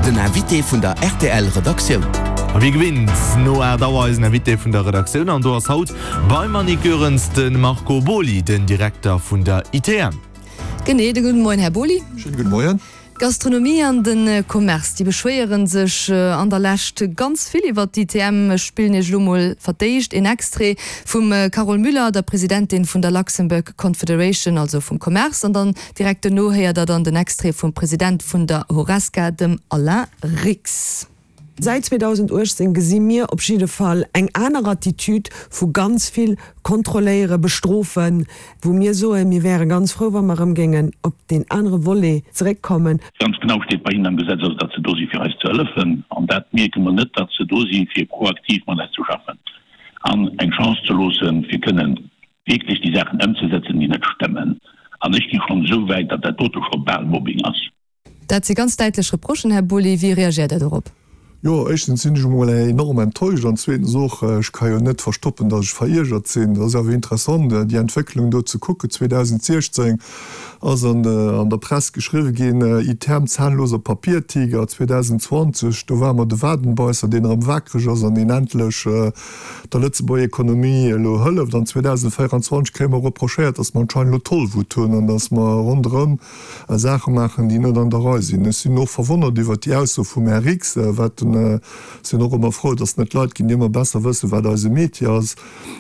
Den Invité vun der rtl Redaktioun. A wéi gewinnt no 8 Auer eisen Invité vun der Redaktioun an do ass haut beim Annick Goerens de Marco Boly, den Direkter vun der ITM. Genee, de gudden Moien Här Boly. Schéine gudde Moien. D'Gastronomie an de Commerce, déi beschwéiere sech an der Lescht ganz vill iwwert d'ITM. Ech spillen Iech elo mol fir d'éischt een Extrait vum Carole Müller, der Presidentin vun der Luxembourg Confederation, also vum Commerce, an dann direkt dono héiert der dann den Extrait vum President vun der Horesca, dem Alain Rix. Säit 2018 gesi mir op jidde Fall eng aner Attitude vu ganz vill kontrolléieren, bestrofen, wou mir soen, mir wäre ganz frou, wa mer erëm géingen op deen anere Volet zeréckkommen. Ganz genau steet bei hinnen am Gesetz also, datt se do si fir eis ze hëllefen. An dat mierke mer net, datt se do si fir proaktiv mat eis ze schaffen an eng Chance ze loossen, fir kënnen wierklech déi Saachen ëmzesetzen, déi net stëmmen. An ech gi schonn esou wäit, datt dat dote scho bal Mobbing ass. Dat si ganz däitlech Reprochen, Här Boly. Wéi reagiert Der dorop? Jo, éischtens sinn ech emol enorm enttäuscht an zweetens och, ech ka jo net verstoppen, datt ech veriergert sinn. Et ass awer interessant, déi Entwécklung do ze kucken. 2016 ass an der Press geschriwwe ginn, ITM, zahnloser Papiertiger. 2020, do ware mer de Wadenbeisser, deen erëm wakereg ass an deen endlech der Lëtzebuerger Ekonomie elo hëlleft. An 2024 kréie mer reprochéiert, datt mer anscheinend elo Tollwut hunn an datt mer ronderëm Saache maachen, déi net an der Rei sinn. Ech sinn och verwonnert iwwert déi Ausso vum Här Rix, wat en, sinn och ëmmer frou, datt et net Leit ginn, déi ëmmer besser wëssen, wat eise Métier ass.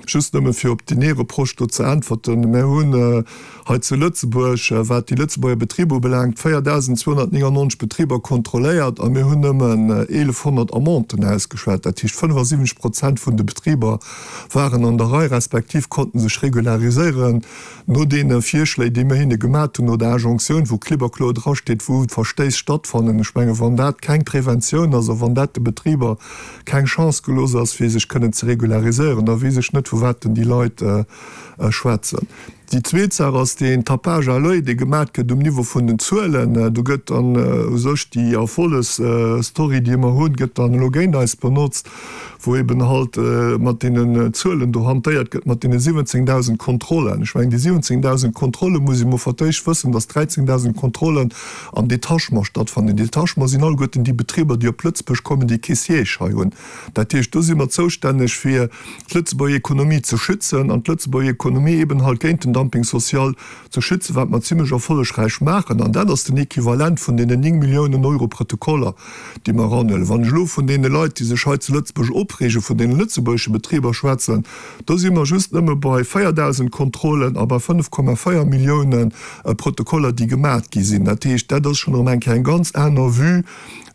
Just nëmme fir op deen ee Reproche do ze äntwerten, Mir hunn hei zu Lëtzebuerg, wat déi Lëtzebuerger Betriber ubelaangt, 4.299 Betriber kontrolléiert a mir hunn nëmmen 1.100 Amenden ausgeschwat. Dat heescht, 75 Prozent vun de Betriber waren an der Rei respektiv konnten sech regulariséieren. No deene Virschléi, déi mir hinne gemat hunn, no der Injonctioun, wou klipp a kloer drasteet, wou d'Verstéiss stattfannen, ech menge wann dat keng Preventioun ass a wann dat de Betriber keng Chance gelooss ass, fir sech kënnen ze regulariséieren, da weess ech net, vu wat denn déi Leit schwätzen. Déi zweet Saach ass deen Tapage à l'oeil, dee gemat gëtt um Niveau vun den Zuelen. Do gëtt dann u sech déi Erfollegsstory, déi mer hunn, gëtt dann elo géint eis benotzt. wou eben halt mat deenen Zuelen do hantéiert gëtt, mat deene 17.000 Kontrollen. Ech mengen, déi 17.000 Kontrolle muss ee mol fir d'éischt wëssen, dass 13.000 Kontrollen am Detachement stattfannen. Detachement sinn alleguerten déi Betriber, déi op Lëtzebuerg kommen, déi kee Siège hei hunn. Dat heescht, do si mer zoustänneg, fir d'Lëtzebuerger Ekonomie ze schützen an d'Lëtzebuerger Ekonomie eben halt géint den Dumping social ze schützen, wat mer zimlech erfollegräich maachen. An dat ass den Equivalent vun deenen 9 Milliounen Euro Protokoller, déi mer eranhuelen. Wann ech elo vun deene Leit, déi sech hei zu Lëtzebuerg opreegen, vun deene lëtzebuergesche Betriber schwätzen, do si mer just nëmme bei 4.000 Kontrollen a bei 5,4 Millioune Protokoller, déi gemat gi sinn. Dat heescht, dat ass schonn erëm eng Kéier eng ganz aner Vue,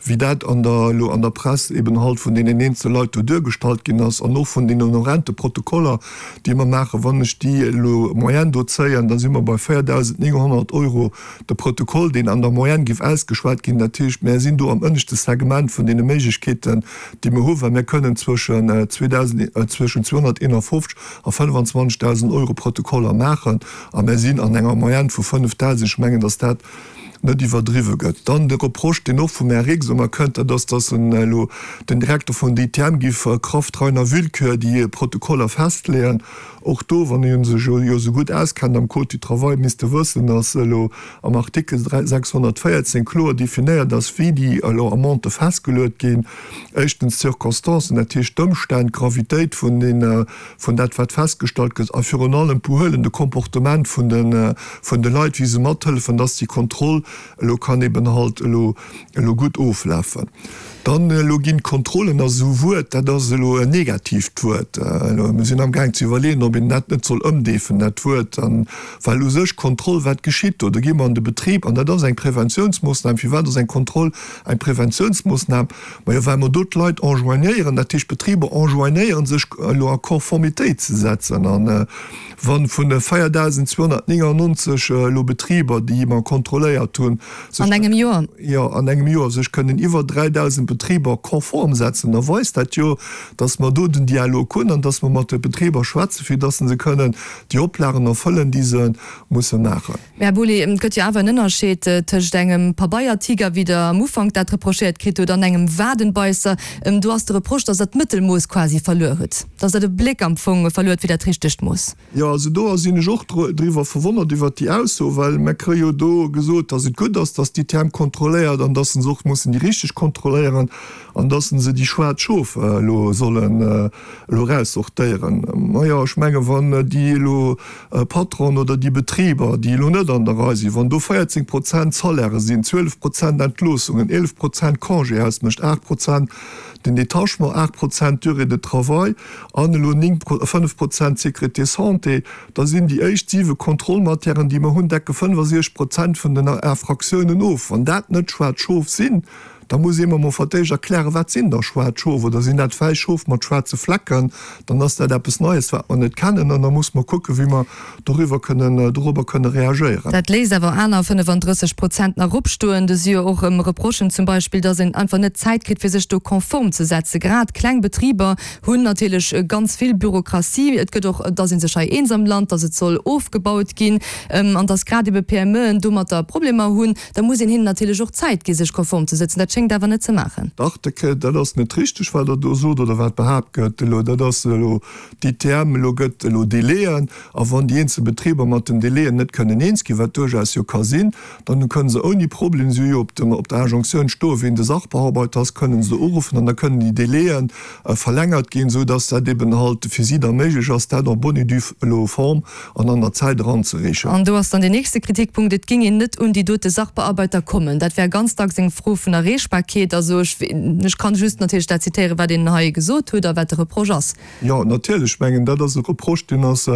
wéi dat an der, elo an der Press eben halt vun deenen eenzele Leit do duergestallt ginn ass an och vun deenen horrende Protokoller, déi mer maachen. Wann ech déi elo Moyenne do zéien, da si mer bei 4.900 Euro de Protokoll, deen an der Moyenne géif ausgeschwat ginn. Dat heescht, mär sinn do am ënneschte Segment vun deene Méiglechkeeten, déi mer hunn, well mär kënnen zwëschen 251 a 25.000 Euro Protokoller maachen a mär sinn an enger Moyenne vu 5.000. Ech mengen, datt dat net iwwerdriwwe gëtt. Dann de Reproche, deen och vum Här Rix ëmmer kënnt, dat ass, datt en elo den Direkter vun der ITM géif Kraft reiner Willkür déi Protokoller festleeën. Och do, wann ee sech jo esou gutt auskennt am Code du travail, misst e wëssen, datt elo am Artikel 614 kloer definéiert ass, wéi déi elo Amendë festgeluet ginn. Éischtens d'Circonstancen, dat heescht d'Ëmstänn, d'Gravitéit vun den, vun dat wat festgestallt gëtt a virun allem d'Behuelen, de Comportement vun de, vun de Leit, wéi se mathëllefen, datt déi Kontroll elo kann eben halt elo, elo gutt oflafen. Dann elo ginn d'Kontrollen ass esou e Wuert, dat ass elo en negatiivt Wuert. Elo, mir sinn amgaang ze iwwerleeën, ob een dat net soll ëmdeefen, dat Wuert. An, well u sech Kontroll, wat geschitt do? Do gi mer an de Betrib an dat ass eng Preventiounsmoossnam. Firwat ass eng Kontroll eng Preventiounsmoossnam? Majo, well mer do d'Leit enjoignéieren, dat heescht d'Betriber enjoignéieren, sech elo a Conformitéit ze setzen. An wa vun 4.299 elo Betriber, déi mer kontrolléiert hunn, sech. An engem Joer? Jo, an engem Joer sech kënnen iwwer 3.000 Betriber konform setzen, da weist dat jo, dass mer do den Dialog hunn an dass mer mat de Betriber schwätzen, fir dass se kënnen déi Oplagen erfëllen, déi se musse maachen. Mä, Här Boly, et gëtt jo awer en Ënnerscheed tëscht engem Pabeiertiger, wéi Der am Ufank dat reprochéiert kritt hutt, an engem Wadenbeisser. Do ass de Reproche, dass Der d'Mëttelmooss quasi verluer hutt, dass Der de Bléck am Fong verluer hutt fir dat richtegt Mooss. Jo, also do sinn ech och driwwer verwonnert, iwwert déi Ausso, well mer kréie jo do gesot, dass et. et gutt ass, dass d'ITM kontrolléiert an dass se och mussen déi richteg kontrolléieren an dass se déi schwaarz Schof elo sollen elo eraussortéieren. Majo, ech menge wann déi elo Patronen oder déi Betriber, déi elo net an der Rei sinn, wann do 14 Prozent Salairë sinn, 12 Prozent Entloossungen, 11 Prozent Congé ausmécht, 8 Prozent den Détachement, 8 Prozent Durée de travail an elo 9, 5 Prozent Sécurité santé, da sinn déi éischt siwe Kontrollmatièren, déi mer hunn, decke 65 Prozent vun den Infractiounen of. Wann dat net schwaarz Schof sinn, da muss ee mer mol fir d'éischt erklären, Wat sinn da schwaarz Schof? Oder sinn dat wäiss Schof mat schwaarze Flecken? Dann ass dat eppes Neies, wat mer net kennen, an da muss mer kucken, wéi mer doriwwer kënnen, dorobber kënne reagéieren. Dat léisst awer aner 35 Prozent nach opstoen. Do si jo och Reprochen zum Beispill, datt een einfach net d'Zäit kritt, fir sech do konform ze setzen. Grad kleng Betriber hunn natierlech ganz vill Bürokratie. Et gëtt och, et ass ee sech hei eens am Land, datt et soll ofgebaut ginn an datt grad ebe PMEen domatter Problemer hunn. Da muss een hinnen natierlech och Zäit gi sech konform ze sëtzen. Dat schéngt awer net ze maachen. Dach, dat ass net richteg, wat Der do sot oder wat behaapt gëtt elo. Dat ass elo d'ITM elo gëtt elo Délaiën, a wann déi eenzel Betriber mat den Délaiën net kënnen eens ginn, wat duerchaus jo ka sinn, dann kënnen se ouni Problem, si hu jo op dem, op der Injonctioun stoen, wien de Sachbearbeiter ass, kënnen se uruffen an da kënnen déi Délaiën verlängert ginn, esou dass dat eben halt fir si da méiglech ass, dat en bonne et due elo Form an an der Zäit eranzereechen. An do ass dann deen nächste Kritikpunkt, et géing een net un déi dote Sachbearbeiter kommen. Dat wär ganz dacks eng Fro vun Erreechbarkeet. Also ech, ech kann just natierlech dat zitéieren, wat een hei gesot huet a wat de Reproche ass. Jo, natierlech. Ech mengen, dat ass e Reproche, deen ass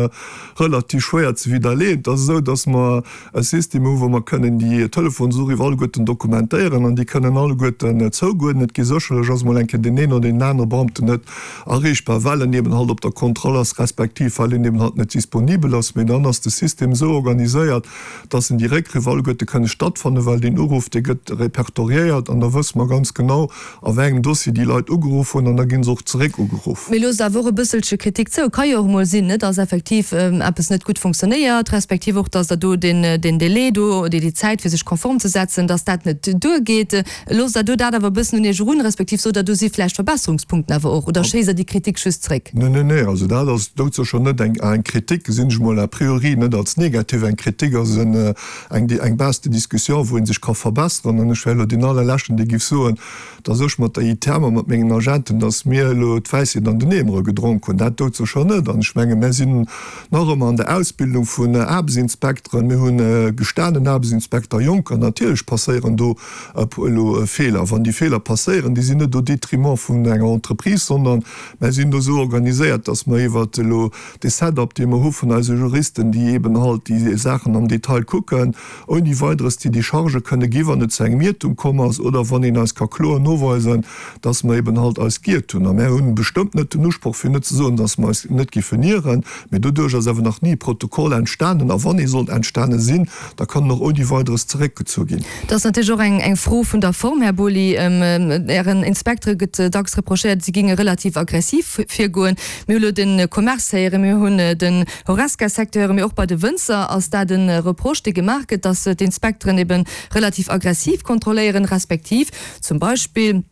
relativ schwéier ze widderleeën. Et ass esou, dass mer e System hu wou mer kënnen déi Telefonsuriff alleguerten dokumentéieren an déi kënnen alleguerten zougoen. Et gi sécherlech, ass emol eng Kéier deen een oder deen anere Beamten net erreechbar, well en eben halt op der Kontroll ass, respektiv well en eben halt net disponibel ass. Mee dann ass de System esou organiséiert, dass en déi Réckriff alleguerte kënne stattfannen, well deen Uruff, dee gëtt repertoriéiert an da wësse mer ganz genau, a wéi engem Dossier déi Leit ugeruff hunn an da gi se och zeréck ugeruff. Mee loosst awer och e bësselche Kritik zou. Ka jo och emol sinn, net, dass effektiv eppes net gutt funktionéiert, respektiv och, dass Der do deen Délai do oder déi Zäit, fir sech konform ze setzen, dass dat net duergeet. Loosst Der do dat awer e bëssen un Iech erun, respektiv sot Der, do si vläicht Verbesserungspunkten awer och, oder schéisst Der déi Kritik just zréck? Nee, nee, nee, also dat ass doudsécher net eng eng Kritik, gesinn ech emol a priori net als negativ. Eng Kritik ass en eng eng Base de discussion, wou ee sech ka verbesseren. An ech wär elo deen allerleschten, dee géif soen, dass ech mat der ITM a mat mengen Agenten, dass mir elo d'Wäisheet an den Eemere gedronk hunn. Dat doudsécher net. An ech menge mir sinn nach ëmmer an der Ausbildung vun Aarbechtsinspekteren. Mir hu gestanen Aarbechtsinspekter, Jonker. Natierlech passéieren do elo Feeler. Wann déi Feeler passéieren, déi sinn net au détriment vun enger Entreprise, sondern Mer sinn do esou organiséiert, dass mer iwwert elo dee Setup, dee mer hu vun eise Juristen, déi eeben halt déi Saachen am Detail kucken, ouni Weideres déi Déchargë kënne gi wann et zu engem Iertum komm ass oder wann een eis ka kloer noweisen, dass mer eeben halt eis giert hunn. A mer hunn bestëmmt net den Usproch, fir net ze soen, dass mer eis net giffen ieren, mee doduerch ass awer nach ni e Protokoll entstanen. A wann ee sollt entstane sinn, da kann en och ouni Weideres zeréckgezu ginn. Dat ass natierlech och eng Fro vun der Form, Här Boly. Ären Inspektere gëtt dacks reprochéiert, si géinge relativ aggressiv virgoen. Mir hu lo de Commerce héieren, mir hunn den Horesca-Secteur héieren, mee och bei de Wënzer ass dat e Reproche, dee gemaach gëtt, datt d'Inspekteren ebe relativ aggressiv kontrolléieren, respektiv zum Beispill,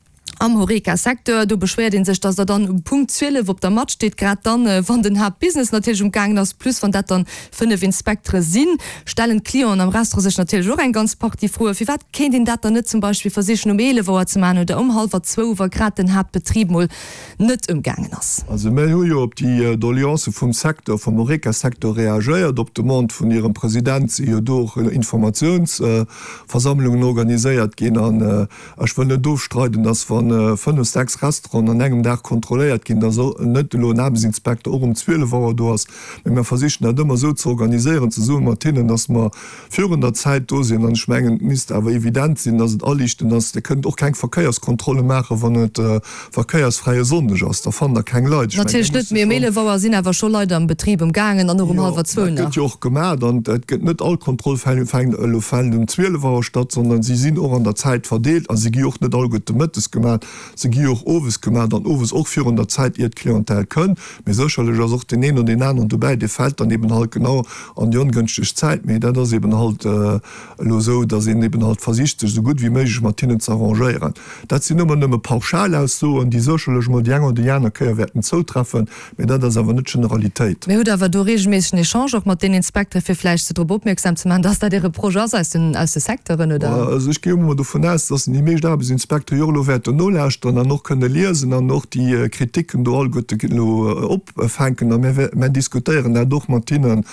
Am Horeca-Secteur, do beschwéiert ee sech, datt der dann um Punkt 12 op der Matt steet, grad dann, wann den Haaptbusiness natierlech um gaangen ass, plus wann dat dann 5 Inspektere sinn, stellen d'Clienten am Restaurant sech natierlech och eng ganz Partie Froen. Firwat kéint een dat dann net zum Beispill versichen um 11 Auer ze maachen oder um hallwer zwou, wa grad den Haaptbetrib mol net um gaangen ass? Also mir hu jo op déi Doleancë vum Secteur, vum Horeca-Secteur reagéiert. Op Demande vun hirem President si jo do och Informatiounsversammlungen organiséiert ginn an Ech wëll net ofstreiden, dass wa fënnef, sechs Restauranten an engem Dag kontrolléiert ginn, dass net elo en Aarbechtsinspekter och um 12 Auer do ass. Mee mir versichen dat ëmmer esou ze organiséieren, zesumme mat hinnen, dass mer virun der Zäit do sinn. An ech mengen, et misst awer evident sinn, dass et aliichtend ass. Dir kënnt och keng Verkéierskontrolle maachen, wann et verkéiersfräie Sonndeg ass. Da fannt Der keng Leit. Ech mengen, Natierlech net, mee um 11 Auer sinn awer scho Leit am Betrib emgaangen an och um hallwer zwou nach. Jo, dat gëtt jo och gemaach. An et gëtt net all Kontroll fänkt elo fält um 12 Auer statt, sondern si sinn och an der Zäit verdeelt a si gi och net alleguerte mëttes gemaach. gemaat, se gi jo och owes gemaat an owes och virun der Zäit ier d'Clientèle kënn. Mee sécherlech ass och deen een oder deen aneren dobäi, dee fält dann eben halt genau an déi ongënschteg Zäit. Mee dat ass eben halt elo esou, datt een eben halt versicht, sech esou gutt wéi méiglech mat hinnen ze arrangéieren. Dat sinn ëmmer nëmme Pauschalaussoen, déi sécherlech emol déi eng oder déi aner Kéier wäerten zoutreffen, mee dat ass awer net d'Generalitéit. Mee hutt awer do regelméissegen Echange och mat deenen Inspekteren, fir vläicht se drop opmierksam ze maachen, dass dat ee Reproche ass aus den, aus de Secteuren, oder? Also ech gi emol dovun aus, dass déi meescht Aarbechtsinspekteren jo och elo wäerten nolauschteren an och kënne liesen an och déi Kriticken do alleguerte elo opfänken. A mir, mir diskutéieren dat och mat hinnen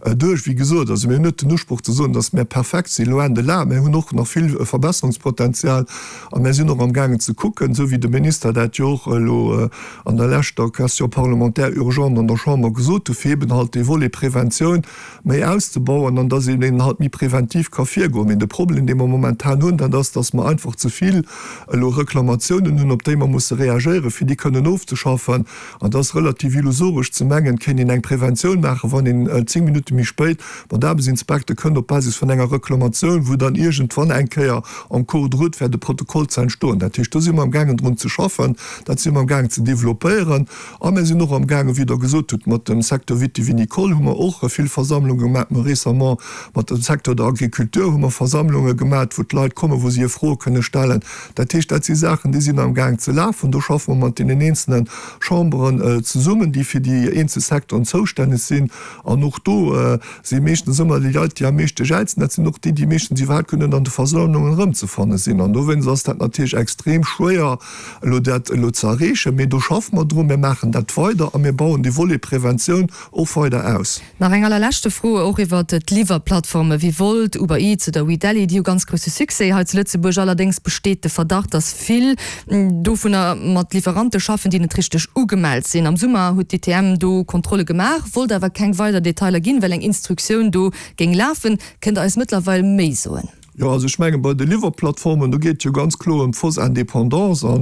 duerch. Wéi gesot, also mir hunn net den Usproch ze soen, dass mir perfekt sinn, loin de là. Mir hunn och nach vill Verbesserungspotenzial a mir sinn och amgaangen ze kucken, esou wéi de Minister dat jo och elo an der leschter Question parlementaire urgente an der Chamber gesot hu fir eben halt dee Volet Preventioun méi auszebauen an dass een eben halt méi preventiv ka virgoen. Mee de Problem, dee mer momentan hunn, dat ass, dass mer einfach ze vill elo Reklamatiounen hunn, op déi mer musse reagéieren, fir déi kënnen ofzeschaffen. An et ass relativ illusoresch ze mengen, et kéint een eng Preventioun maachen, wann een 10 Minutte méi spéit mat Aarbechtsinspekte kënnt op Basis vun enger Reklamatioun, wou dann iergendwann eng Kéier en cours de route wäert e Protokoll ze entstoen. Dat heescht, do si mer amgaangen drun ze schaffen, dat si mer amgaangen ze développéieren. A mir sinn och amgaangen, wéi Der gesot hutt, mat dem Secteur vitivinicole hu mer och vill Versammlunge gemaach. Mir hu récemment mat dem Secteur der Agriculture hu mer Versammlunge gemaach, wou d'Leit kommen, wou se hir Froe kënne stellen. Dat heescht, dat si Saachen, déi sinn amgaang ze lafen. Do schaffe mer mat deenen eenzelne Chamberen zesummen, déi fir déi eenzel Secteuren zoustänneg sinn. An och do si meeschtens ëmmer déi Leit, déi am meeschte jäizen, dat sinn och déi, déi meeschtens iwwerhaapt guer net an de Versammlungen erëmzefanne sinn. An dowéinst ass dat natierlech extrem schwéier, elo dat elo ze erreechen. Mee do schaffe mer drun, mir maachen dat weider a mir bauen dee Volet Preventioun och weider aus. Nach eng allerleschte Fro, och iwwert d'Liwwerplattforme wéi Wolt, Uber Eats oder WeDelhi. Déi hu ganz grousse Succès hei zu Lëtzebuerg. Allerdéngs besteet de Verdacht, datt vill dovunner mat Liwwerante schaffen, déi net richteg ugemellt sinn. Am Summer huet d'ITM do Kontrolle gemaach, wollt awer keng weider Detailer ginn, well eng Instruktioun do géing lafen. Kënnt Der eis mëttlerweil méi soen? Jo, also ech menge bei de Liwwerplattformen, do geet et jo ganz kloer ëm d'fausse Indépendance. A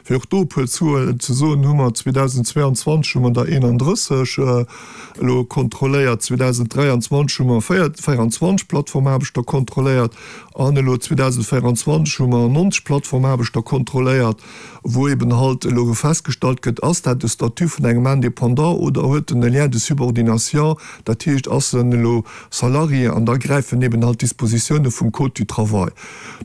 fir och do e puer Zuelen ze soen, hu mer 2022 hu mer der 31 elo kontrolléiert, 2023 hu mer 24 Plattformaarbechter kontrolléiert an elo 2024 hu mer 90 Plattformaarbechter kontrolléiert, wou eben halt elo festgestallt gëtt, ass dat de Statut vun engem Indépendant oder huet en e Lien de subordination, dat heescht, ass en elo Salarié, an da gräifen eben halt d'Dispositioune vum Code du travail.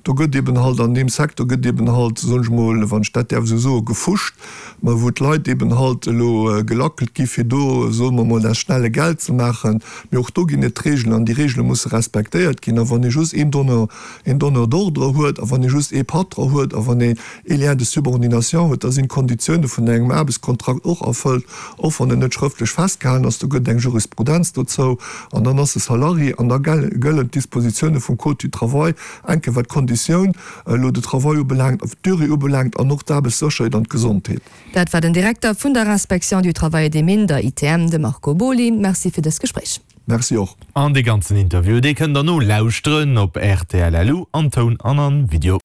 Do gëtt eben halt an deem Secteur gëtt eben halt, soen ech mol, wann ech dat däerf esou soen, gefuscht, mä wou d'Leit eben halt elo gelackelt gi fir do, soe mer mol, dat schnelle Geld ze maachen. Mee och do ginn et Regeln an déi Regele musse respektéiert ginn. A wann ee just een Donneur, een Donneur d'ordre huet a wann ee just ee Patron huet a wann ee ee Lien de subordination huet, da sinn d'Konditioune vun engem Aarbechtskontrakt och erfëllt, och wann en net schrëftlech festgehalen ass. Do gëtt et eng Jurisprudenz dozou an dann ass e Salarié an da gëllen d'Dispositioune vum Code du travail, enke wat d'Konditioun elo de travail ubelaangt, d'Durée ubelaangt an och d'Aarbechtssécherheet an d'Gesondheet. Dat war den Direkter vun der Inspection du Travail et des Mines, der ITM, de Marco Boly. Merci fir dëst Gespréich. Merci och. An dee ganzen Interview, dee kënnt der nolauschteren op rtl.lu an Toun an an Video.